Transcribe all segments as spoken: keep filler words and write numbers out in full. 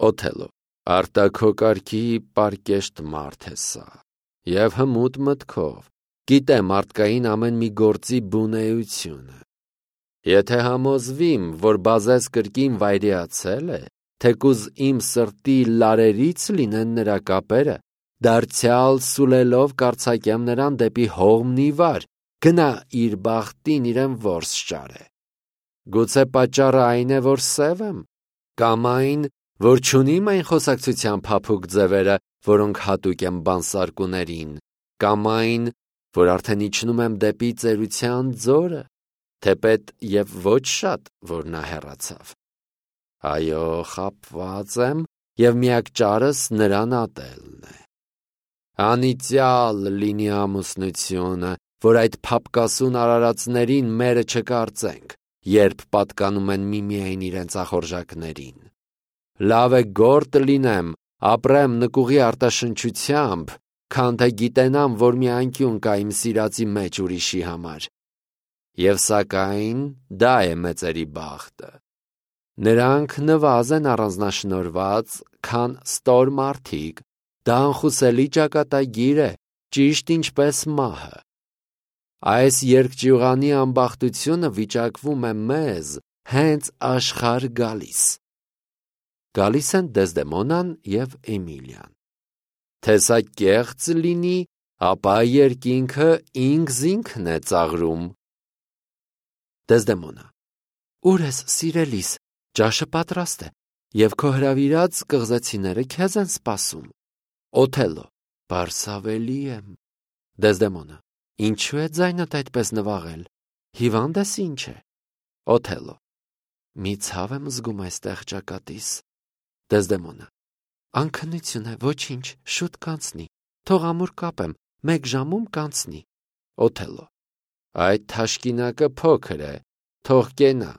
Օթելլո. Արտաքոկարգի պարկեշտ մարդ է սա, և հմուտ մտքով, գիտե մարդկային ամեն մի գործի բունեությունը։ Եթե համոզվիմ, որ բազես կրկին վայրիացել է, թեկուզ իմ սրտի լարերից լինեն նրա կապերը, դարձյալ սուլելով կարձակեմ նրան դեպի հողմն ի վար, գնա իր բախտին իրեն որս ճարե։ Գուցե պատճառը այն է, որ սև եմ, կամ այն, որ չունիմ այն խոսակցության փափուկ ձևերը, որոնք հատուկ են բանսարկուներին, կամ այն, որ արդեն իջնում եմ դեպի ծերության ձորը, թեպետ և ոչ շատ, որ նա հեռացավ։ Այո, խաբված եմ, և միակ ճարս նրան ատելն է։ Անիծյալ լինի ամուսնությունը, որ այդ փափկասուն արարածներին մերը չկարծենք, երբ պատկանում են միմիայն իրենց ախորժակներին։ Լավ է գործ լինեմ, ապրեմ նկուղի արտաշնչությամբ, քան թե գիտենամ, որ մի անկյուն կա իմ սիրածի մեջ ուրիշի համար։ Եվ սակայն դա է մեծերի բախտը։ Նրանք նվազ են առանձնաշնորհված, քան ստոր մարդիկ, դա անխուսելի ճակատագիր է, ճիշտ ինչպես մահը։ Այս երկճյուղանի ամբախտությունը վիճակվում է մեզ հենց աշխարհ գալիս։ Գալիս են Դեզդեմոնան և Էմիլիան։ Թե սա կեղծ լինի, ապա երկինքը ինքզինքն է ծաղրում։ Դեզդեմոնա. Ուր ես, սիրելիս, ճաշը պատրաստ է, և քո հրավիրած կղզեցիները քեզ են սպասում։ Օթելլո. Բարսավելի եմ։ Դեզդեմոնա. Ինչու է ձայնդ այդպես նվաղել, հիվանդ ես ինչ է։ Օթելլո. Մի ցավ եմ զգում այստեղ ճակատիս։ Դեզդեմոնա. Անքնություն է, ոչինչ, շուտ կանցնի, թող ամուր կապեմ, մեկ ժամում կանցնի։ Օթելլո. Այդ թաշկինակը փոքր է, թող կենա։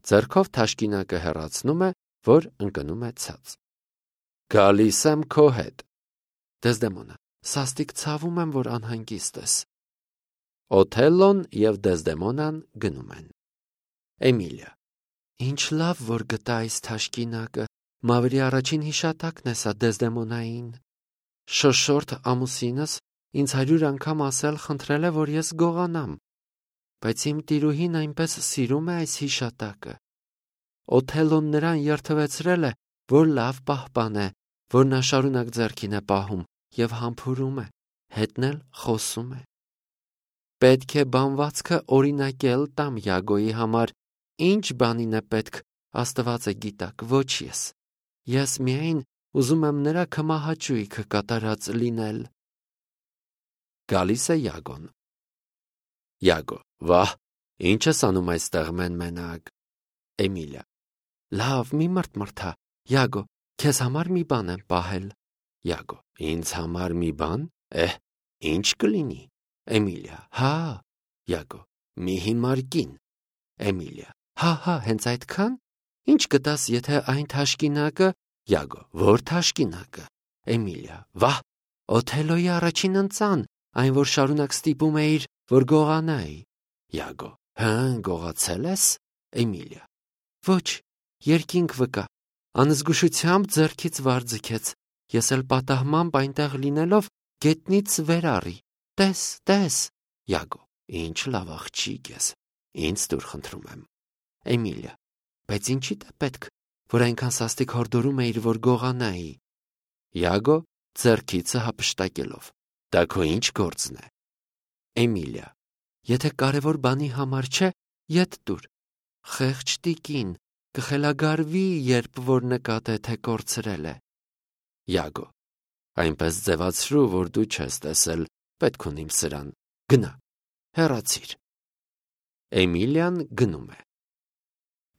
Ձեռքով թաշկինակը հեռացնում է, որ ընկնում է ցած։ Գալիս եմ քո հետ։ Դեզդեմոնա. Սաստիկ ցավում եմ, որ անհանգիստ ես։ Օթելլոն և Դեզդեմոնան գնում են։ Էմիլիա. Ինչ լավ, որ գտա այս թաշկինակը, մավրի առաջին հիշատակն է սա Դեզդեմոնային։ Շոշորթ ամուսինս ինձ հարյուր անգամ ասել խնդրել է, որ ես գողանամ, բայց իմ տիրուհին այնպես սիրում է այս հիշատակը։ Օթելլոն նրան երդվեցրել է, որ լավ պահպան է, որ նա շարունակ ձեռքին է պահում և համբուրում է, հետն էլ խոսում է։ Պետք է բանվածքը օրինակել տամ Յագոյի համար, ինչ բանին է պետք, Աստված է գիտակ, ոչ ես։ Ես միայն ուզում եմ նրա քմահաճույքը կատարած լինել։ Գալիս է Յագոն։ Յագո. Վահ, ինչ ես անում այստեղ մեն-մենակ։ Էմիլիա. Լավ, մի մրթմրթա, Յագո, քեզ համար մի բան եմ պահել։ Յագո. Ինձ համար մի բան, էհ, ինչ կլինի։ Էմիլիա. Հա։ Յագո. Մի հիմար կին։ Էմիլիա. Հա, հա, հենց այդքան։ Ինչ կտաս, եթե այն թաշկինակը։ Յագո. Որ թաշկինակը։ Էմիլիա. Վահ, Օթելլոյի առաջին ընծան, այն որ շարունակ ստիպում էիր, որ գողանայի։ Յագո. Հը, գողացել ես։ Էմիլիա. Ոչ, երկինք վկա, անզգուշությամբ ձեռքից վար ձգեց, ես էլ պատահմամբ այնտեղ լինելով գետնից վեր առի, տես, տես։ Յագո. Ինչ լավ աղջիկ ես, ինձ տուր խնդրում եմ։ Էմիլիա. Բայց ինչի՞դ է պետք, որ այնքան սաստիկ հորդորում էիր, որ գողանայի։ Յագո ձեռքիցը հափշտակելով. Դա քո ինչ գործն է։ Էմիլիա. Եթե կարևոր բանի համար չէ, ետ տուր։ Խեղճ տիկին, կխելագարվի, երբ որ նկատե, թե կորցրել է։ Յագո. Այնպես ձևացրու, որ դու չես տեսել, պետք ունիմ սրան, գնա, հեռացիր։ Էմիլիան գնում է։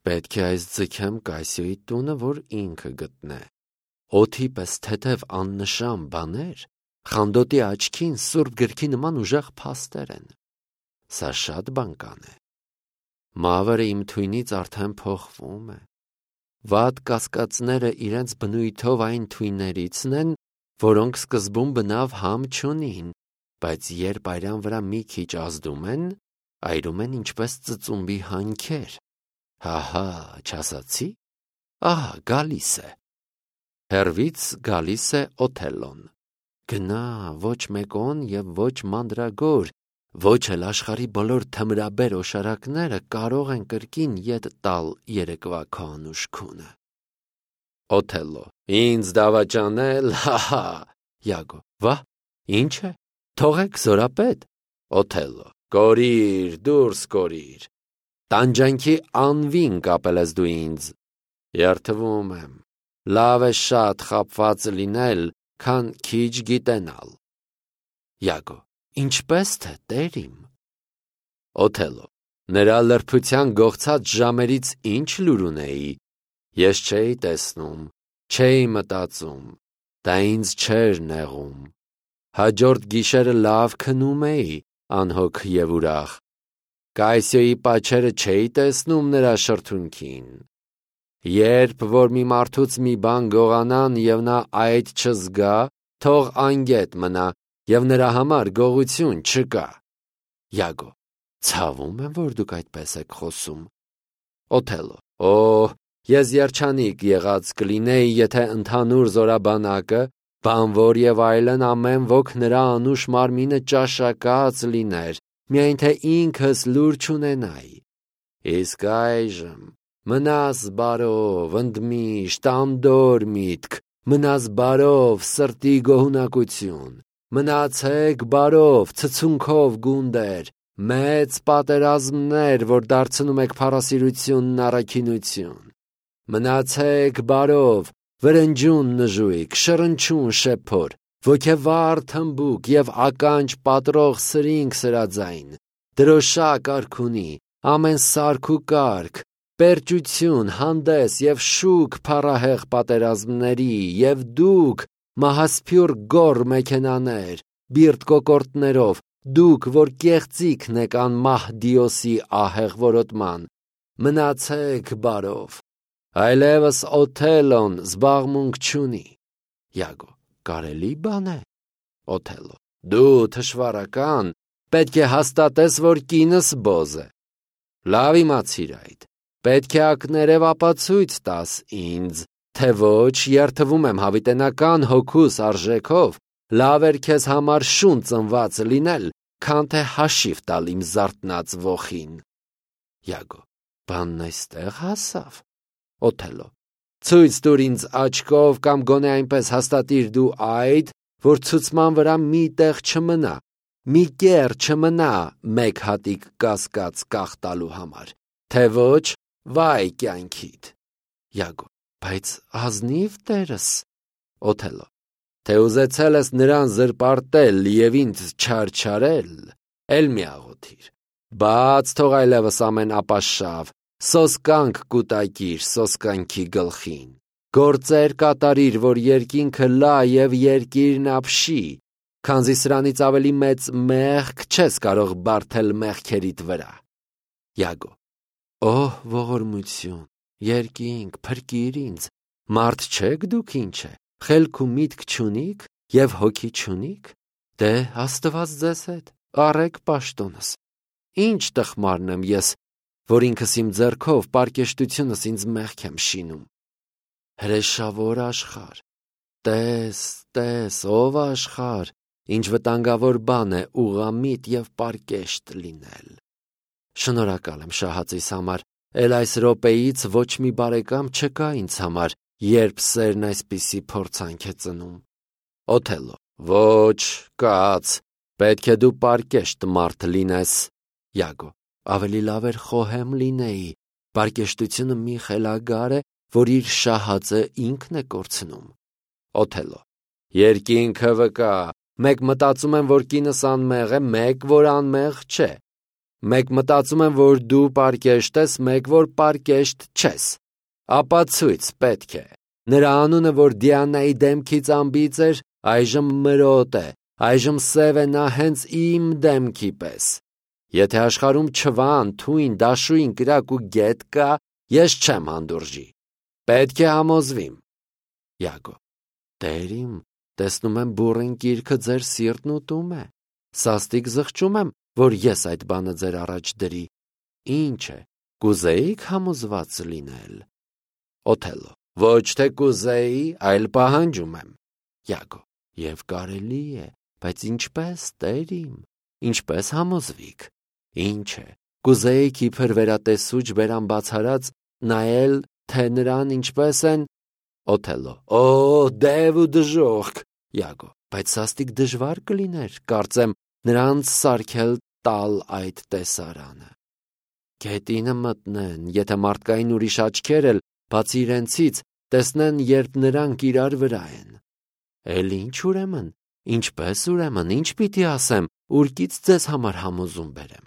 Պետք է այս ձգեմ Կասիոյի տունը, որ ինքը գտնե։ Օդի պես թեթև աննշան բաներ, խանդոտի աչքին սուրբ գրքի նման ուժեղ փաստեր են։ Սա շատ բանկան է։ Մավրը իմ թույնից արդեն փոխվում է։ Վատ կասկածները իրենց բնույթով այն թույններիցն են, որոնք սկզբում բնավ համ չունին, բայց երբ արյան վրա մի քիչ ազդում են, այրում են ինչպես ծծումբի հանքեր։ Հահա, չասացի, ահա գալիս է։ Հեռվից գալիս է Օթելլոն։ Գնա, ոչ մեկոն և ոչ մանրագոր, ոչ էլ աշխարհի բոլոր թմրաբեր օշարակները կարող են կրկին ետ տալ երեկվա քո անուշ քունը։ Օթելլո. Ինձ դավաճանել, հա-հա։ Յագո. Վա, ինչ է, թողեք զորապետ։ Օթելլո. Կորիր, դուրս կորիր։ Տանջանքի անվին կապել ես դու ինձ։ Երդվում եմ, լավ է շատ խաբված լինել, քան քիչ գիտենալ։ Յագո. Ինչպես թե տեր իմ։ Օթելլո. Նրա լրբության գողցած ժամերից ինչ լուր ունեի, ես չէի տեսնում, չէի մտածում, դա ինձ չէր նեղում։ Հաջորդ գիշերը լավ քնում էի, անհոգ և ուրախ։ Կայսիոյի պաչերը չէի տեսնում նրա շրթունքին։ Երբ որ մի մարդուց մի բան գողանան և նա այդ չզգա, թող անգետ մնա և նրա համար գողություն չկա։ Յագո. Ցավում եմ, որ դուք այդպես եք խոսում։ Օթելլո. Օհ, ես երջանիկ եղած կլինեի, եթե ընդհանուր զորաբանակը, բանվոր և այլն ամեն ոք նրա անուշ մարմինը ճաշակած լիներ, միայն թե ինքս լուր չունենայի։ Իսկ այժմ մնաս բարով, ընդմիշտ անդոր միտք, մնաս բարով, սրտի գոհունակություն, մնացեք բարով, ցցունքով գունդեր, մեծ պատերազմներ, որ դարձնում եք փառասիրությունն առաքինություն։ Մնացեք բարով, վրնջուն նժույգ, շռնչուն շեփոր, ոգևառ թմբուկ և ականջ պատրող սրինգ սրաձայն, դրոշակ արքունի, ամեն սարք ու կարգ, պերճություն, հանդես և շուք փառահեղ պատերազմների, և դուք, մահասփյուռ գոռ մեքենաներ, բիրտ կոկորդներով, դուք, որ կեղծիքն եք անմահ Դիոսի ահեղ որոտման, մնացեք բարով։ Այլևս Օթելլոն զբաղմունք չունի։ Յագո. Կարելի բան է։ Օթելլո. Դու թշվառական, պետք է հաստատես, որ կինս բոզ է։ Լավ իմացիր այդ, պետք է ակներև ապացույց տաս ինձ, թե ոչ երդվում եմ հավիտենական հոգուս արժեքով, լավ էր քեզ համար շուն ծնված լինել, քան թե հաշիվ տալ իմ զարթնած ոխին։ Յագո. Բանն այստեղ հասավ։ Օթելլո. Ցույց տուր ինձ աչքով կամ գոնե այնպես հաստատիր դու այդ, որ ցուցման վրա մի տեղ չմնա, մի կեռ չմնա մեկ հատիկ կասկած կախ տալու համար, թե ոչ վայ կյանքիդ։ Յագո. Բայց ազնիվ տերս։ Օթելլո. Թե ուզեցել ես նրան զրպարտել և ինձ չարչարել, էլ մի աղոթիր, բաց թող այլևս ամեն ապաշավ, սոսկանք կուտակիր սոսկանքի գլխին, գործեր կատարիր, որ երկինքը լա և երկիրն ապշի, քանզի սրանից ավելի մեծ մեղք չես կարող բարդել մեղքերիդ վրա։ Յագո. Օհ, ողորմություն, երկինք, փրկիր ինձ, մարդ չեք դուք ինչ է, խելք ու միտք չունիք և հոգի չունիք, դե Աստված ձեզ հետ, առեք պաշտոնս, ինչ տխմարն եմ ես, որ ինքս իմ ձեռքով պարկեշտությունս ինձ մեղք եմ շինում։ Հրեշավոր աշխարհ, տես, տես, ով աշխարհ, ինչ վտանգավոր բան է ուղղամիտ և պարկեշտ լինել։ Շնորհակալ եմ շահածիս համար, էլ այս րոպեից ոչ մի բարեկամ չկա ինձ համար, երբ սերն այսպիսի փորձանք է ծնում։ Օթելլո. Ոչ, կաց, պետք է դու պարկեշտ մարդ լինես։ Յագո. Ավելի լավ էր խոհեմ լինեի, պարկեշտությունը մի խելագար է, որ իր շահածը ինքն է կորցնում։ Օթելլո. Երկինքը վկա, մեկ մտածում եմ, որ կինս անմեղ է, մեկ, որ անմեղ չէ։ Մեկ մտածում եմ, որ դու պարկեշտ ես, մեկ, որ պարկեշտ չես։ Ապացույց պետք է։ Նրա անունը, որ Դիանայի դեմքից անբիծ էր, այժմ մրոտ է, այժմ սև է նա հենց իմ դեմքի պես։ Եթե աշխարհում չվան, թույն, դաշույն, կրակ ու գետ կա, ես չեմ հանդուրժի։ Պետք է համոզվիմ։ Յագո. Տեր իմ, տեսնում եմ բուռն կիրքը ձեր սիրտն ուտում է։ Սաստիկ զղջում եմ, որ ես այդ բանը ձեր առաջ դրի։ Ինչ է, կուզեիք համոզված լինել։ Օթելլո. ոչ թե կուզեի, այլ պահանջում եմ։ Յակո. Եվ կարելի է, բայց ինչպես, տեր իմ, ինչպես համոզվիք։ Ինչ է, կուզեիք իբր վերատեսուչ բերան բացարած նայել, թե նրան ինչպես են։ Օթելլո. Օ, դև ու դժոխք։ Յակո. բայց սաստիկ դժվար կլիներ, կարծեմ, նրանց սարքել տալ այդ տեսարանը։ Գետինը մտնեն, եթե մարդկային ուրիշ աչքեր էլ, բացի իրենցից, տեսնեն, երբ նրանք իրար վրա են։ Էլ ինչ ուրեմն, ինչպես ուրեմն, ինչ պիտի ասեմ, ուրկից ձեզ համար համոզում բերեմ։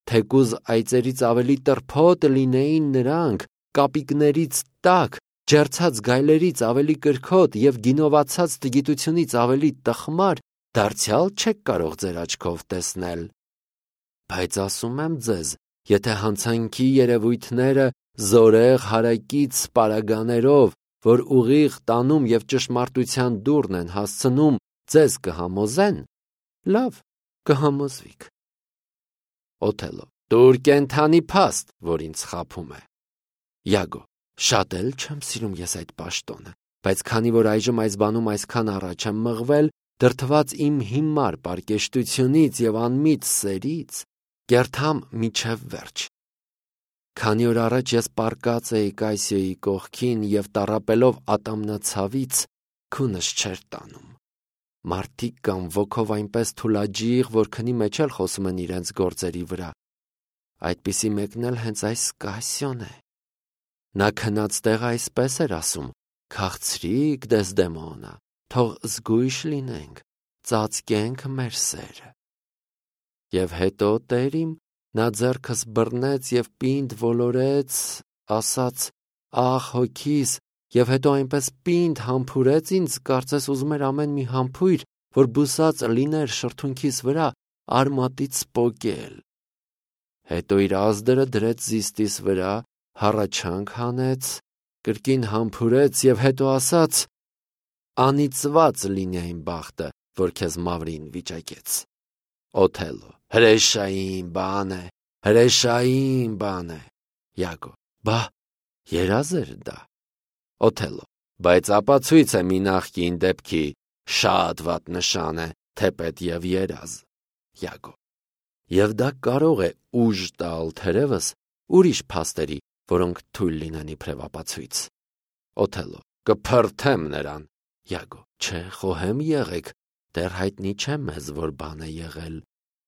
Թեկուզ այծերից ավելի տրփոտ լինեին նրանք, կապիկներից տաք, ջերցած գայլերից ավելի կրքոտ և գինովացած տգիտությունից ավելի տխմար, դարձյալ չեք կարող ձեր աչքով տեսնել։ Բայց ասում եմ ձեզ, եթե հանցանքի երևույթները զորեղ հարակից պարագաներով, որ ուղիղ տանում և ճշմարտության դուռն են հասցնում, ձեզ կհամոզեն, լավ, կհամոզվիք։ Օթելլո. Դուր կենդանի փաստ, որ ինձ խաբում է։ Յակո. շատ էլ չեմ սիրում ես այդ պաշտոնը, բայց քանի որ այժմ այս բանում այսքան առաջ եմ մղվել, դրդված իմ հիմար պարկեշտությունից և անմիտ սերից, կերթամ միջև վերջ։ Քանի օր առաջ ես պառկած էի Կայսիոյի կողքին և տառապելով ատամնացավից քունս չէր տանում։ Մարդիկ կան ոգով այնպես թուլաջիղ, որ քնի մեջ էլ խոսում են իրենց գործերի վրա։ Այդպիսի մեկն էլ հենց այս Կայսիոն է։ Նա քնած տեղը այսպես էր ասում. «Քաղցրի՛ք, Դեսդեմոնա, թող զգույշ լինենք, ծածկենք մեր սերը»։ Եվ հետո, տեր իմ, նա ձեռքս բռնեց և պինդ ոլորեց, ասաց. «Ախ, հոգիս», և հետո այնպես պինդ համբուրեց ինձ, կարծես ուզում էր ամեն մի համբույր, որ բուսած լիներ շրթունքիս վրա, արմատից պոկել։ Հետո իր ազդրը դրեց զիստիս վրա, հառաչանք հանեց, կրկին համբուրեց և հետո ասաց. «Անիծված լինի այն բախտը, որ քեզ մավրին վիճակեց»։ Օթելլո. հրեշային բան է, հրեշային բան է։ Յակո. բա, երազ էր դա։ Օթելլո. բայց ապացույց է մի նախկին դեպքի, շատ վատ նշան է, թեպետ և երազ։ Յակո. և դա կարող է ուժ տալ թերևս ուրիշ փաստերի, որոնք թույլ լինեն իբրև ապացույց։ Օթելլո. կփրթեմ նրան։ Յակո. չէ, խոհեմ եղեք, դեռ հայտնի չէ մեզ, որ բան է եղել,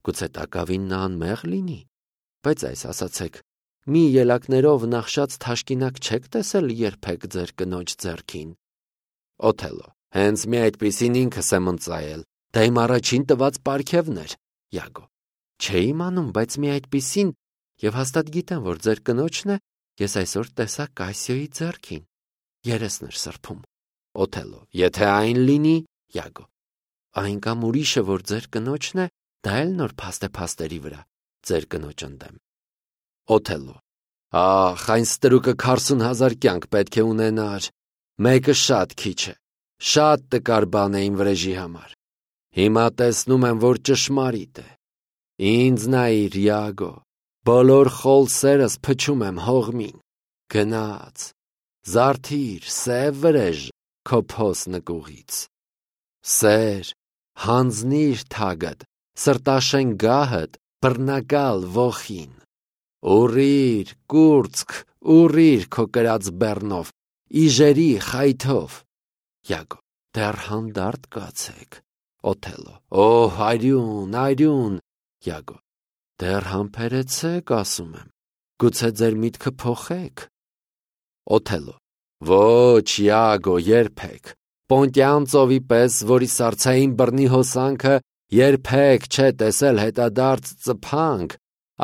գուցե տակավին նա անմեղ լինի, բայց այս ասացեք, մի ելակներով նախշած թաշկինակ չեք տեսել երբեք ձեր կնոջ ձեռքին։ Օթելլո. հենց մի այդպիսին ինքս եմ ընծայել, դա իմ առաջին տված պարգևն էր։ Յակո. չէի իմանում, բայց մի այդպիսին, և հաստատ գիտեմ, որ ձեր կնոջն է, ես այսօր տեսա Կայսիոյի ձեռքին, երեսն էր սրբում։ Օթելլո. եթե այն լինի։ Յակո. այն կամ ուրիշը, որ ձեր կնոջն է, դա էլ նոր փաստ է փաստերի վրա, ձեր կնոջ ընդեմ։ Օթելլո. ախ, այն ստրուկը քարսուն հազար կյանք պետք է ունենար, մեկը շատ քիչ է, շատ տկար բան է իմ վրեժի համար։ Հիմա տեսնում եմ, որ ճշմարիտ է։ Ինձ նայիր, Յակո, բոլոր խոլ սերս փչում եմ հողմին։ Գնաց, զարթիր, սև վրեժ քո փոս նկուղից։ Սեր, հանձնիր թագդ, սրտաշեն գահդ, բռնակալ ոխին։ Ուռիր, կուրծք, ուռիր քո կրած բեռնով, իժերի խայթով։ Յակո. դեռ հանդարտ կացեք։ Օթելլո. օ, արյուն, արյուն։ Յակո. դեռ համբերեցեք, ասում եմ, գուցե ձեր միտքը փոխեք։ Օթելլո. ոչ, Յակո, երբեք, Պոնտյան ծովի պես, որի սառցային բռնի հոսանքը երբեք չէ տեսել հետադարձ ծփանք,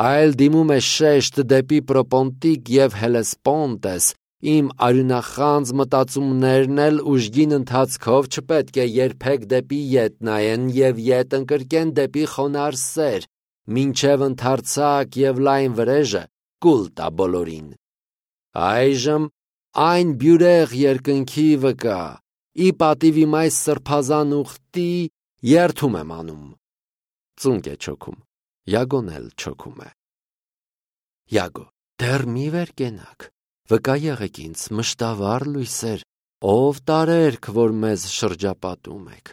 այլ դիմում է շեշտ դեպի Պրոպոնտիկ և Հելեսպոնտես, իմ արյունախանձ մտածումներն էլ ուժգին ընթացքով չպետք է երբեք դեպի ետ նայեն և ետ ընկրկեն դեպի խոնարհ սեր, մինչև ընդարձակ և լայն վրեժը կուլ տա բոլորին։ Այժմ այն բյուրեղ երկնքի վկա, ի պատիվ իմ այս սրբազան ուխտի երդում եմ անում։ Ծունկ է չոքում, Յակոն էլ չոքում է։ Յակո. դեռ մի վեր կենաք, վկա եղեք ինձ, մշտավառ լույսեր, ով տարերք, որ մեզ շրջապատում եք,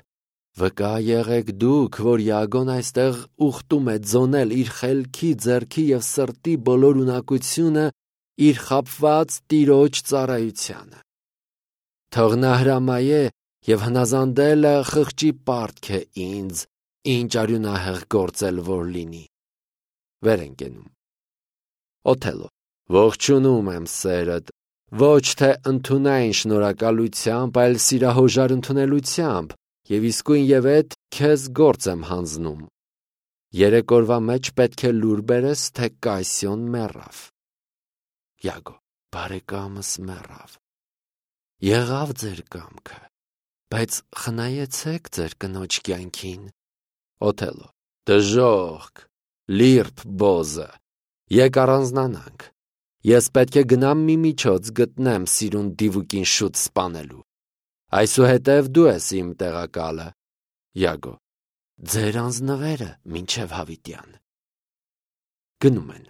վկա եղեք դուք, որ Յագոն այստեղ ուխտում է ձոնել իր խելքի, ձեռքի և սրտի բոլոր ունակությունը իր խաբված տիրոջ ծառայությանը։ Թող նա հրամայե և հնազանդելը խղճի պարտք է ինձ, ինչ արյունահեղ գործել որ լինի։ Վեր են կենում։ Օթելլո. ողջունում եմ սերդ, ոչ թե ընդունայն շնորհակալությամբ, այլ սիրահոժար ընդունելությամբ, և իսկույն և էդ քեզ գործ եմ հանձնում։ Երեք օրվա մեջ պետք է լուր բերես, թե Կայսիոն մեռավ։ Յագո. բարեկամս մեռավ։ Եղավ ձեր կամքը, բայց խնայեցեք ձեր կնոջ կյանքին։ Օթելլո. դժոխք, լիրբ բոզը, եկ առանձնանանք։ Ես պետք է գնամ մի միջոց գտնեմ սիրուն դիվուկին շուտ սպանելու։ Այսուհետև դու ես իմ տեղակալը։ Յագո. ձեր անձնվերը մինչև հավիտյան։ Գնում են։